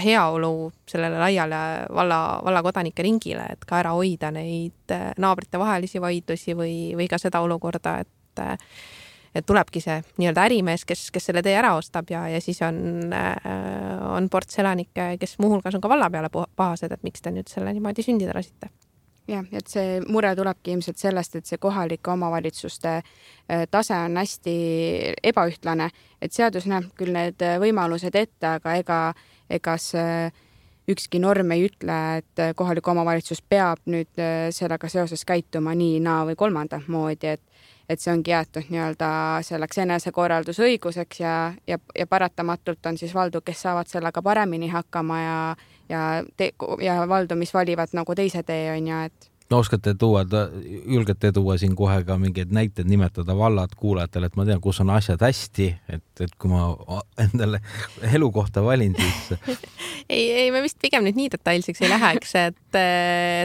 heaolu sellele laiale valla kodanike ringile, et ka ära hoida neid naabrite vahelisi vaidlusi või ka seda olukorda, et tulebki see nii-öelda ärimees, kes selle tee ära ostab ja siis on ports elanikke, kes muuhulgas on ka valla peale pahased, et miks te nüüd selle niimoodi sündida lasite. Jah, et see mure tulebki ilmselt sellest, et see kohalike omavalitsuste tase on hästi ebaühtlane, et seadus näeb küll need võimalused ette, aga ega ükski norm ei ütle, et kohalik omavalitsus peab nüüd sellega seoses käituma nii, naa või kolmandat moodi, et see ongi jäetud nii-öelda selleks enesekorraldusõiguseks ja paratamatult on siis valdu, kes saavad sellega paremini hakkama ja valdu, mis valivad nagu teise tee on ja et no julgete tuua siin kohe ka mingeid näiteid nimetada vallad kuulajatele, et ma tean, kus on asjad hästi, et kui ma endale elukohta valin, siis ei, me vist pigem nüüd nii detailseks ei läheks, et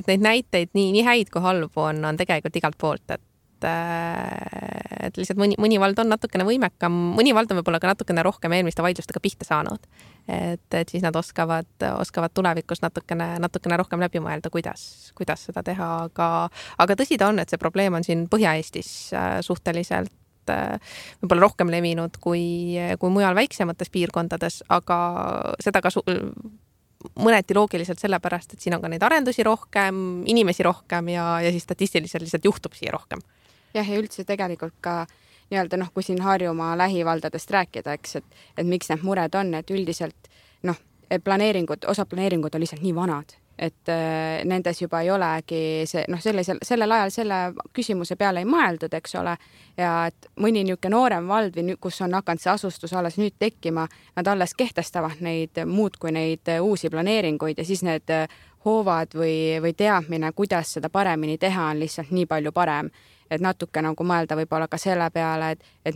neid näiteid nii häid kui halbu on tegelikult igalt poolt, et lihtsalt mõni vald on natukene võimekam, mõni vald on võib-olla ka natukene rohkem eelmiste vaidlustega pihta saanud. Et siis nad oskavad tulevikus natukene rohkem läbi mõelda, kuidas seda teha, aga tõsi ta on, et see probleem on siin Põhja-Eestis suhteliselt võib-olla rohkem levinud kui mujal väiksemates piirkondades, aga seda ka mõneti loogiliselt sellepärast, et siin on ka neid arendusi rohkem, inimesi rohkem ja siis statistiliselt lihtsalt juhtub siia rohkem. Jah, ja üldse tegelikult ka nii-öelda kui siin Harjumaa lähivaldadest rääkida, eks, et miks need mured on, et üldiselt osa planeeringud on lihtsalt nii vanad, et nendes juba ei olegi sellel ajal selle küsimuse peale ei mõeldud, eks ole, ja et mõni niisugune noorem vald või kus on hakanud see asustus alles nüüd tekkima, nad alles kehtestavad neid muud kui neid uusi planeeringuid ja siis need hoovad või teadmine, kuidas seda paremini teha, on lihtsalt nii palju parem. Et natuke nagu mõelda võib-olla ka selle peale, et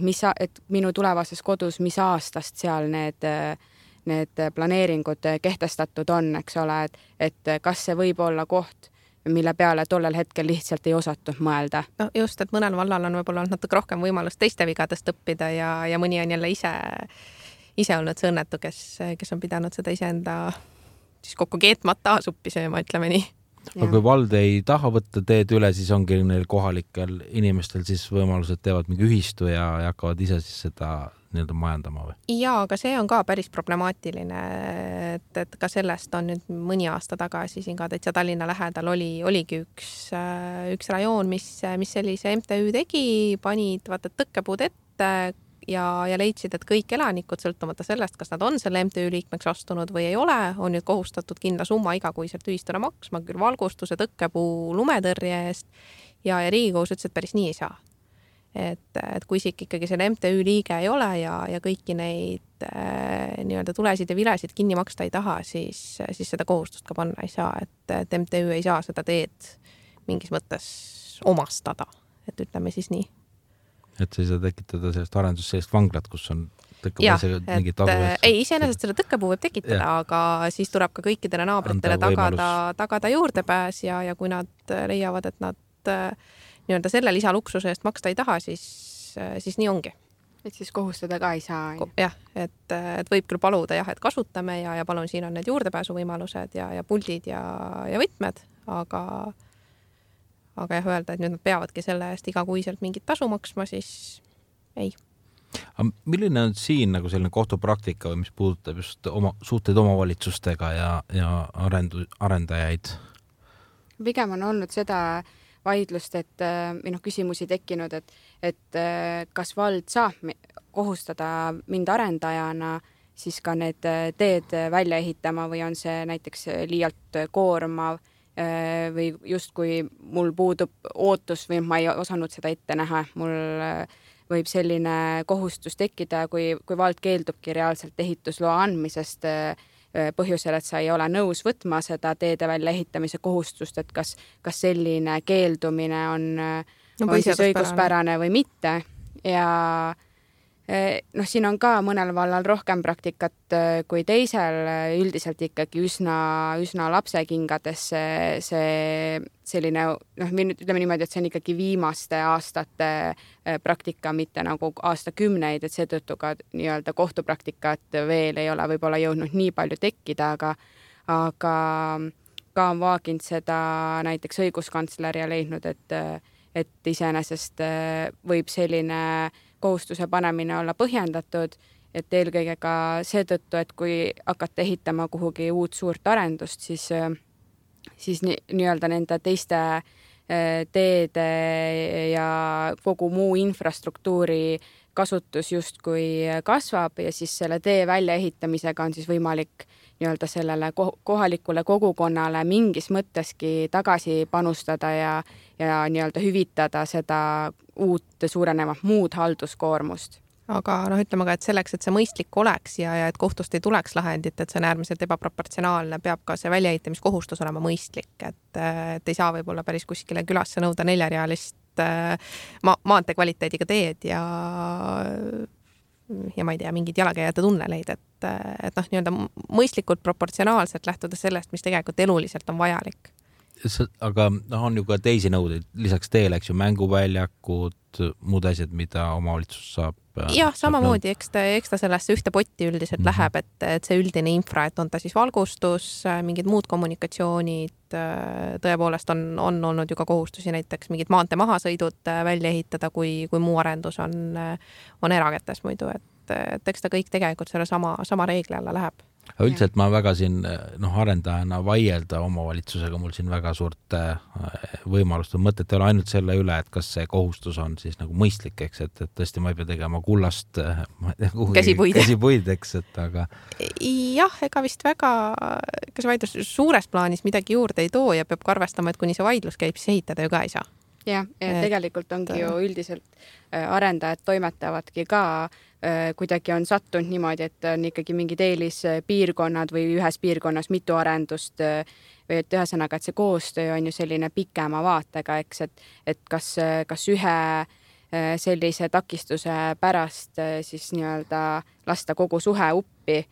minu tulevases kodus, mis aastast seal need planeeringud kehtestatud on, eks ole, et kas see võib olla koht, mille peale tollel hetkel lihtsalt ei osatud mõelda. No just, et mõnel vallal on võib-olla natuke rohkem võimalust teiste vigadest õppida ja mõni on jälle ise olnud see õnnetu, kes on pidanud seda iseenda siis kokku keetmata suppi sööma, ütleme nii. Aga kui vald ei taha võtta teed üle, siis ongi neil kohalikel inimestel siis võimalused teevad mingi ühistu ja hakkavad ise siis seda nii-öelda majandama või? Ja, aga see on ka päris problemaatiline, et ka sellest on nüüd mõni aasta tagasi siin ka täitsa Tallinna lähedal oligi üks rajoon, mis sellise MTÜ tegi, panid tõkkepuud ette ja leidsid, et kõik elanikud, sõltumata sellest, kas nad on selle MTÜ liikmeks astunud või ei ole, on nüüd kohustatud kindla summa igakuiselt ühistule maksma, küll valgustuse, tõkkepuu, lumetõrje eest ja Riigikohus ütles, et päris nii ei saa. Et kui isik ikkagi selle MTÜ liige ei ole ja kõiki neid nii-öelda tulesid ja vilesid kinni maksta ei taha, siis seda kohustust ka panna ei saa, et MTÜ ei saa seda teed mingis mõttes omastada, et ütleme siis nii. Et sa ei saa tekitada sellest arendust sellist vanglat, kus on tõkkepuu mingit tasu eest. Ei, iseenesest selle tõkkepuu võib tekitada, aga siis tuleb ka kõikidele naabritele tagada juurdepääs ja kui nad leiavad, et nad nii-öelda selle lisaluksuse eest maksta ei taha, siis nii ongi. Et siis kohustada ka ei saa. Jah, et võib küll paluda, et kasutame ja palun, siin on need juurdepääsu võimalused ja puldid ja võtmed, aga jah, öelda, et nüüd nad peavadki selle eest igakuiselt mingit tasu maksma, siis ei. Aga milline on siin nagu selline kohtupraktika või mis puudutab just suhteid omavalitsustega ja arendajaid? Pigem on olnud seda vaidlust, et küsimusi tekkinud, et kas vald saab kohustada mind arendajana siis ka need teed välja ehitama või on see näiteks liialt koormav või justkui mul puudub ootus või ma ei osanud seda ette näha, mul võib selline kohustus tekkida, kui vald keeldubki reaalselt ehitusloa andmisest põhjusel, et sa ei ole nõus võtma seda teede välja ehitamise kohustust, et kas selline keeldumine on siis õiguspärane või mitte ja siin on ka mõnel vallal rohkem praktikat kui teisel, üldiselt ikkagi üsna lapsekingades see selline, ütleme niimoodi, et see on ikkagi viimaste aastate praktika, mitte nagu aastakümneid, et seetõttu ka nii-öelda kohtupraktikat veel ei ole võib-olla jõudnud nii palju tekkida, aga ka on vaaginud seda näiteks õiguskantsler ja leidnud, et iseenesest võib selline kohustuse panemine olla põhjendatud, et eelkõige ka seetõttu, et kui hakata ehitama kuhugi uut suurt arendust, siis nii-öelda nende teiste teede ja kogu muu infrastruktuuri kasutus justkui kasvab ja siis selle tee väljaehitamisega on siis võimalik nii-öelda sellele kohalikule kogukonnale mingis mõtteski tagasi panustada ja nii-öelda hüvitada seda uut suurenevat muud halduskoormust. Aga ütleme ka, et selleks, et see mõistlik oleks ja et kohtust ei tuleks lahendit, et see on äärmiselt ebaproportsionaalne, peab ka see väljaehitamiskohustus olema mõistlik, et ei saa võib-olla päris kuskile külasse nõuda 4-realist maantee kvaliteediga teed ja ma ei tea, mingid jalakäijate tunneleid, et nii-öelda mõistlikult proportsionaalselt lähtuda sellest, mis tegelikult eluliselt on vajalik. Aga on ju ka teisi nõudeid, lisaks teele, eks ju, mänguväljakud, muud asjad, mida omavalitsus saab. Jah, samamoodi, eks ta sellesse ühte potti üldiselt läheb, et see üldine infra, et on ta siis valgustus, mingid muud kommunikatsioonid, tõepoolest on olnud ju ka kohustusi näiteks mingid maantee mahasõidud välja ehitada, kui muu arendus on erakätes muidu, et eks ta kõik tegelikult selle sama reegli alla läheb. Üldiselt ma väga siin arendajana vaielda omavalitsusega, mul siin väga suurt võimalust on mõtet ei ole ainult selle üle, et kas see kohustus on siis nagu mõistlik, eks, et tõesti ma ei pea tegema kullast käsipuid, eks, et aga... Jah, ega vist väga, kas vaidlus suures plaanis midagi juurde ei too ja peab ka arvestama, et kuni see vaidlus käib, siis ehitada ju ka ei saa. Jah, tegelikult ongi ju üldiselt arendajad toimetavadki ka kuidagi on sattunud niimoodi, et on ikkagi mingid eelispiirkonnad või ühes piirkonnas mitu arendust või et ühesõnaga, et see koostöö on ju selline pikema vaatega, eks, et kas ühe sellise takistuse pärast siis nii-öelda lasta kogu suhe uppi.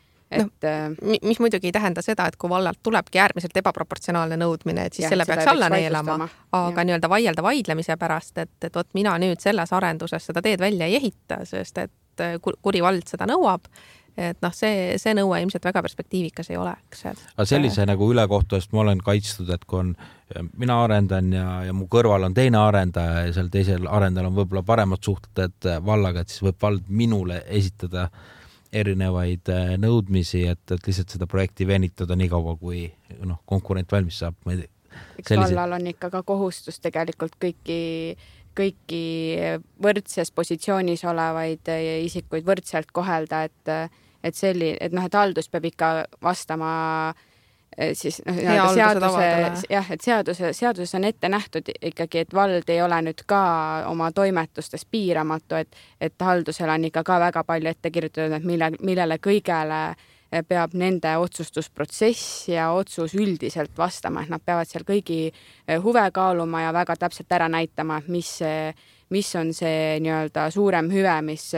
Mis muidugi ei tähenda seda, et kui vallalt tulebki äärmiselt ebaproportsionaalne nõudmine, et siis selle peaks alla neelama, aga nii-öelda vaielda vaidlemise pärast, et vot mina nüüd selles arenduses seda teed välja ei ehita, sest et kuri vald seda nõuab, et see nõue ilmselt väga perspektiivikas ei ole. Aga sellise nagu ülekohtu eest ma olen kaitstud, et kui on mina arendan ja mu kõrval on teine arendaja ja seal teisel arendajal on võib-olla paremad suhted vallaga, et siis võib vald minule esitada erinevaid nõudmisi, et lihtsalt seda projekti venitada nii kaua, kui konkurent valmis saab. Eks vallal on ikka ka kohustus tegelikult kõiki võrdses positsioonis olevaid isikuid võrdselt kohelda, et haldus peab ikka vastama siis seaduses on ette nähtud ikkagi, et vald ei ole nüüd ka oma toimetustes piiramatu, et haldusel on ikka ka väga palju ette kirjutatud, et millele kõigele peab nende otsustusprotsess ja otsus üldiselt vastama, et nad peavad seal kõigi huve kaaluma ja väga täpselt ära näitama, mis on see nii-öelda suurem hüve, mis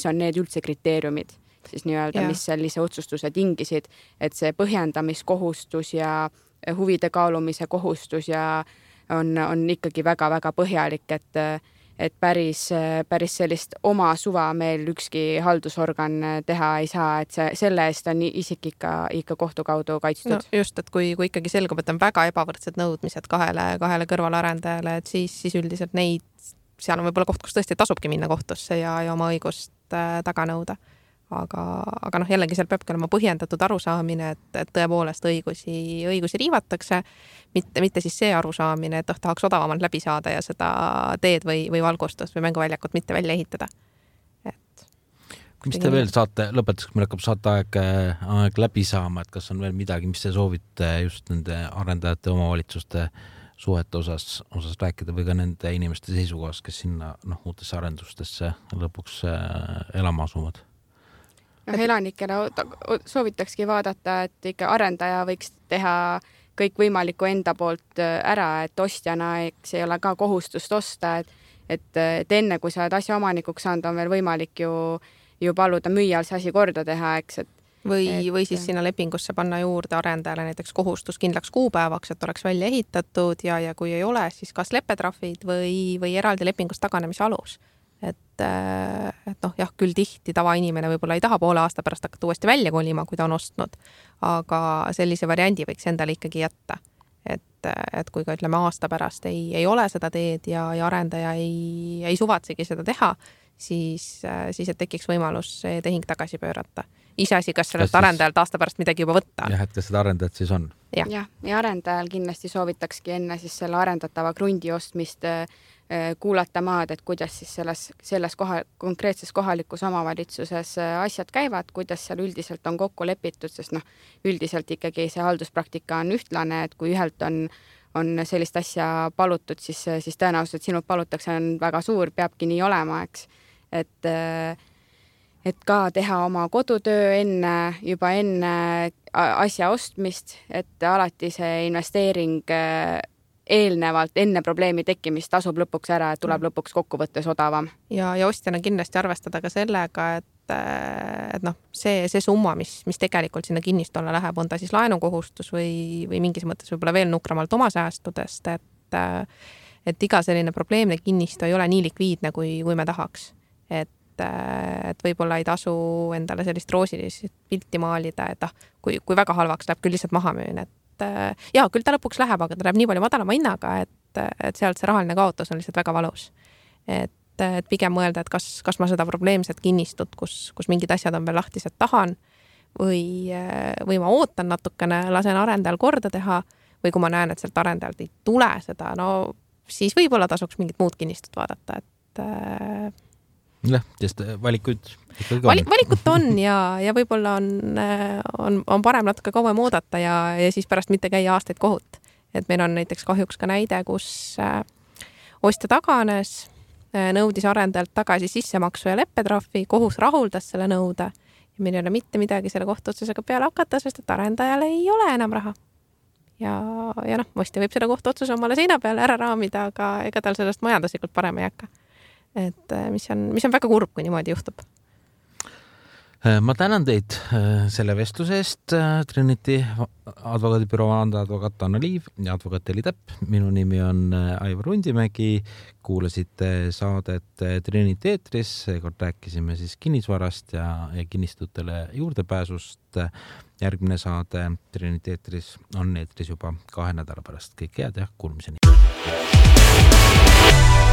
on need üldse kriteeriumid siis nii-öelda, mis sellise otsustuse tingisid, et see põhjendamiskohustus ja huvide kaalumise kohustus ja on ikkagi väga-väga põhjalik, et päris sellist oma suva meil ükski haldusorgan teha ei saa, et selle eest on isik ikka kohtu kaudu kaitstud. Just, et kui ikkagi selgub, et on väga ebavõrdsed nõudmised kahele kõrvalarendajale, et siis üldiselt neid, seal on võib-olla koht, kus tõesti tasubki minna kohtusse ja oma õigust taga nõuda. Aga jällegi seal peabki olema põhjendatud arusaamine, et tõepoolest õigusi riivatakse, mitte siis see arusaamine, et tahaks odavamalt läbi saada ja seda teed või valgustust või mänguväljakut mitte välja ehitada. Mis te veel saate, lõpetuseks meil hakkab saate aeg läbi saama, et kas on veel midagi, mis te soovite just nende arendajate omavalitsuste suhete osas rääkida või ka nende inimeste seisukohas, kes sinna uutesse arendustesse lõpuks elama asuvad? Elanikele soovitakski vaadata, et ikka arendaja võiks teha kõik võimalikku enda poolt ära, et ostjana ei ole ka kohustust osta, et enne kui sa oled asja omanikuks saanud, on veel võimalik ju paluda müüjal see asi korda teha, eks. Või siis sinna lepingusse panna juurde arendajale näiteks kohustus kindlaks kuupäevaks, et oleks välja ehitatud ja kui ei ole, siis kas leppetrahvid või eraldi lepingust taganemise alus. Küll tihti tavainimene võib-olla ei taha poole aasta pärast hakata uuesti välja kolima, kui ta on ostnud, aga sellise variandi võiks endale ikkagi jätta. Et kui ka ütleme aasta pärast ei ole seda teed ja arendaja ei suvatsegi seda teha, siis et tekiks võimalus see tehing tagasi pöörata. Iseasi, kas sellest arendajalt aasta pärast midagi juba võtta. Jah, et kas seda arendajat siis on? Ja arendajal kindlasti soovitakski enne siis selle arendatava krundi ostmist kuulata maad, et kuidas siis selles konkreetses kohalikus omavalitsuses asjad käivad, kuidas seal üldiselt on kokku lepitud, sest üldiselt ikkagi see halduspraktika on ühtlane, et kui ühelt on sellist asja palutud, siis tõenäoliselt sinult palutakse on väga suur, peabki nii olema, eks. Et ka teha oma kodutöö juba enne asja ostmist, et alati see investeering eelnevalt, enne probleemi tekkimist tasub lõpuks ära, et tuleb lõpuks kokkuvõttes odavam. Ja ostjana kindlasti arvestada ka sellega, et see summa, mis tegelikult sinna kinnistule läheb, on ta siis laenukohustus või mingis mõttes võib-olla veel nukramalt oma säästudest, et iga selline probleemne kinnistu ei ole nii likviidne, kui me tahaks. Et võib-olla ei tasu endale sellist roosilist pilti maalida, et kui väga halvaks läheb, küll lihtsalt maha müün, ja küll ta lõpuks läheb, aga ta läheb nii palju madalama hinnaga, et sealt see rahaline kaotus on lihtsalt väga valus. Et pigem mõelda, et kas ma seda probleemset kinnistut, kus mingid asjad on veel lahtised, tahan või ma ootan natukene, lasen arendajal korda teha või kui ma näen, et sealt arendajalt ei tule seda, siis võib-olla tasuks mingit muud kinnistut vaadata, et sest valikuid valikut on ja võib-olla on parem natuke kauem oodata ja siis pärast mitte käia aastaid kohut. Et meil on näiteks kahjuks ka näide, kus ostja taganes, nõudis arendajalt tagasi sissemaksu ja leppetrahvi, kohus rahuldas selle nõude ja meil ei ole mitte midagi selle kohtuotsusega peale hakata, sest et arendajal ei ole enam raha. Ja ostja võib seda kohtuotsuse omale seina peale ära raamida, aga ega tal sellest majanduslikult parem ei hakka. Et mis on väga kurb, kui niimoodi juhtub. Ma tänan teid selle vestluse eest, Trinity advokaadibüroo vandeadvokaat Anna Liiv ja advokaat Heli Täpp. Minu nimi on Aivar Rundimägi. Kuulasite saadet Trinity eetris. Seekord rääkisime siis kinnisvarast ja kinnistutele juurdepääsust. Järgmine saade Trinity eetris on eetris juba 2 nädala pärast. Kõik head ja kuulmiseni.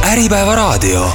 Äripäeva raadio.